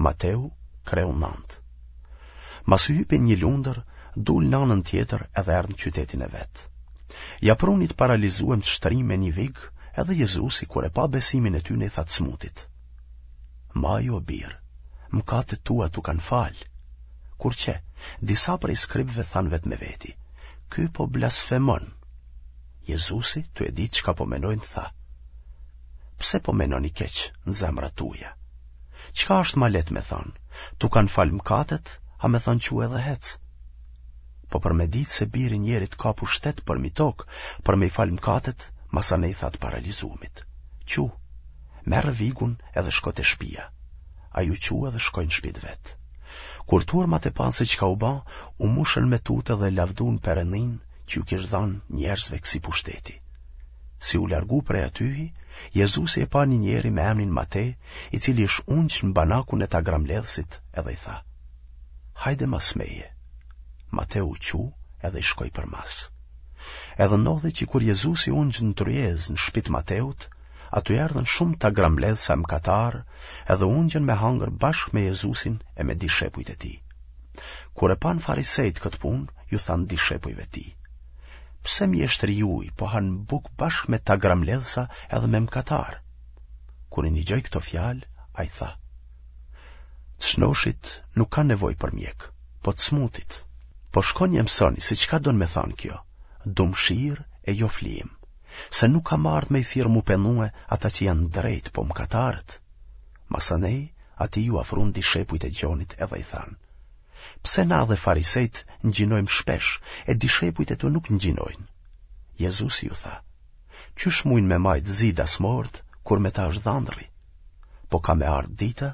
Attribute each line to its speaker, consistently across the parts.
Speaker 1: Mateu, kreu 9. Masi hypi në një lundër, dul në anën tjetër edhe erdh në qytetin e vet. Ja prunë një të paralizuem të shtrim me një vig, edhe Jezusi, kur e pa besimin e tyne, i tha të smutit. Maju o bir, mëkatet tua t'u kanë falë. Kur qe, disa prej skribëve thanë vetë me veti, ky po blasfemon. Jezusi, tu e ditë çka po menojnë, tha, pse po menoni keq në zemrat tuja? Çka është ma lehtë me thanë, t'u kanë falë mëkatet, a me thanë çu edhe hec? Po për me ditë se biri i njerit ka pushtet përmi tokë, për me i falë mëkatet, masanej i tha të paralizumit. Çu, merre vigun edhe shko te shpia. Ai u çu edhe shkoi në shpi të vet. Kur turmat e panë se çka u ba, u mushën me tutë dhe lavdun Perëndinë që ju kish dhanë njerëzve kësi pushteti. Si u largu prej atyhi, Jezusi e pa një njeri me emnin Mate, i cili ish ungj në banakun e tagrambledhësit edhe i tha, Hajde mas meje. Mateu u çu edhe i shkoi përmas. Edhe ndodhi që kur Jezusi u ungj në tryezë në shpi të Mateut, aty erdhën shumë tagrambledhësa e mëkatarë edhe u ungjën me hangër bashkë me Jezusin e me dishepujt e tij. Kur e panë farisejtë këtë punë, ju thanë dishepujve të tij. Pse mjeshtri juj po han bukë bashkë me tagrambledhësa edhe me mëkatarë? Kur i nigjoi këto fjalë, ai tha: Të shnoshit nuk kanë nevojë për mjek, po të smutit. Po shkoni e mësoni se çka don me thanë kjo, du mshirë e jo flijim, se nuk kam ardhë me i thirrë m'u penue ata që janë drejt, po mëkatarët. Masanej, atij iu afrun dishepujt e Gjonit edhe i thanë, pse na dhe farisejtë ngjinojmë shpesh, e dishepujt e tu nuk ngjinojnë? Jezusi ju tha, qysh mujnë me majtë zi dasmorët, kur me ta është dhandrri? Po ka me ardhë dita,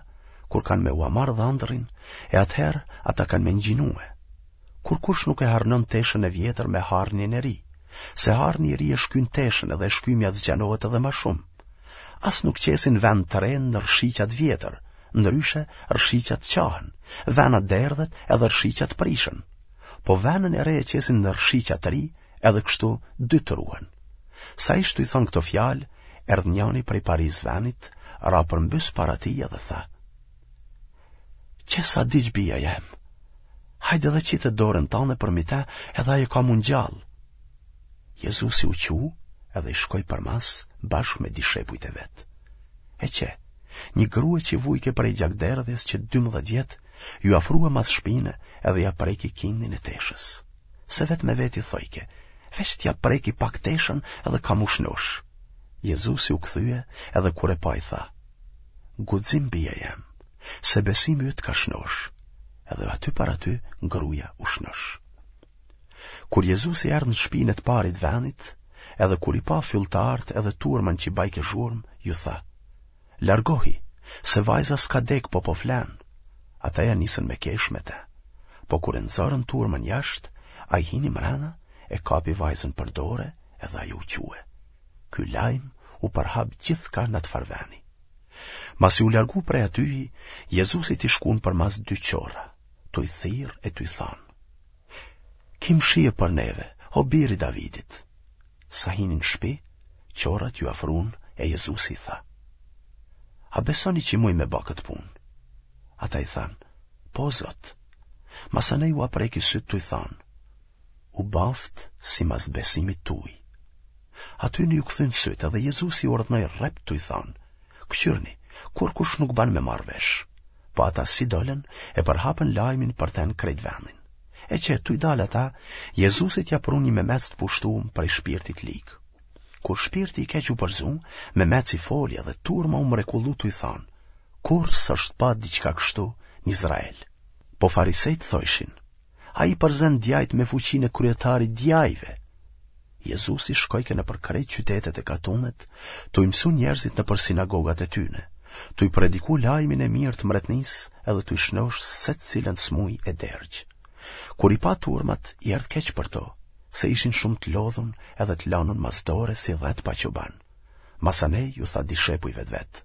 Speaker 1: kur kanë me ua marrë dhandrrin, e atëherë ata kanë me ngjinue. Kurkush nuk e harnon teshën e vjetër me harnin e ri, se harni i ri e shkyn teshën edhe e shkymja zgjanohet edhe ma shumë. As nuk qesin venë të re në rrëshiqa të vjetër, ndryshe rrëshiqat çahen, vena derdhet edhe rrëshiqat prishen. Po venën e re e qesin në rrëshiqa të ri, edhe kështu dytë ruhen. Sa ish tuj thënë këto fjalë, erdh njani prej parisë venit, ra përmbys para tij edhe tha. Qe sa diq bija jem, hajde dhe qite dorën tane përmi te edhe ajo ka m'u ngjallë. Jezusi u çu edhe i shkoi përmas bashkë me dishepujt e vet. E qe, një grue që vujke prej gjakderdhjes që 12 vjet, iu afrua mas shpine edhe ia preki kindin e teshës. Se vetë me veti thojke, veç t'ia preki pak teshën edhe kam m'u shnosh. Jezusi u kthye edhe kur e pa i tha, guxim bija jem, se besimi yt t'ka shnosh, edhe aty për aty gruja u shnosh. Kur Jezusi erdh në shpinë e të parit venit, edhe kur i pa fylltarët edhe turmën që bajke zhurmë, ju tha, largohi, se vajza s'ka dek po po flen. Ata ja nisën me kesh me te. Po kur e nxorën turmën jashtë, ai hini mrena, e kapi vajzën për dore edhe ajo u çue. Ky lajm u përhap gjithkah në atë farë veni. Masi u largu prej atyhi, Jezusit i shkun përmas dy qorra, tuj thirrë e tuj thanë. Ki mshirë për neve, o bir i Davidit. Sa hini në shpi, qorrat iu afrun e Jezusi i tha. A besoni që muj me ba këtë punë? Ata i thanë, po Zot. Masanej ua preki sytë tuj thanë, u baftë simas besimit tuj. Atyne iu kthyn sytë edhe Jezusi i urdhnoi rreptë tuj thanë, këqyrni, kurkush nuk ban me marrë vesh. Po ata si dolën e përhapën lajmin për te në krejt vendin. E qe, tuj dalë ata, Jezusit ia prunë një memec të pushtum prej shpirtit lig. Kur shpirti i keq u përzu, memeci foli edhe turma u mrekullu tuj thanë, kurrë s'është pa diçka kështu në Izrael. Po farisejtë thojshin, ai përzen djajt me fuqinë e kryetarit djajve. Jezusi shkojke nëpër krejt qytetet e katunet, tuj mësu njerëzit nëpër sinagogat e tyne, tuj prediku lajmin e mirë të mbretnisë edhe tuj shnosh secilën smuj e dergjë. Kur i pa turmat, i erdh keq për to, se ishin shumë të lodhun edhe të lanun mas dore si dhetë pa çoban. Masanej ju tha dishepujve të vet,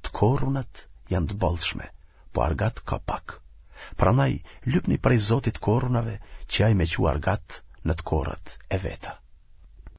Speaker 1: të korrunat janë të bollshme, po argat ka pak. Prandaj, lypni prej Zotit të korrunave që ai me çu argat në të korrat e veta.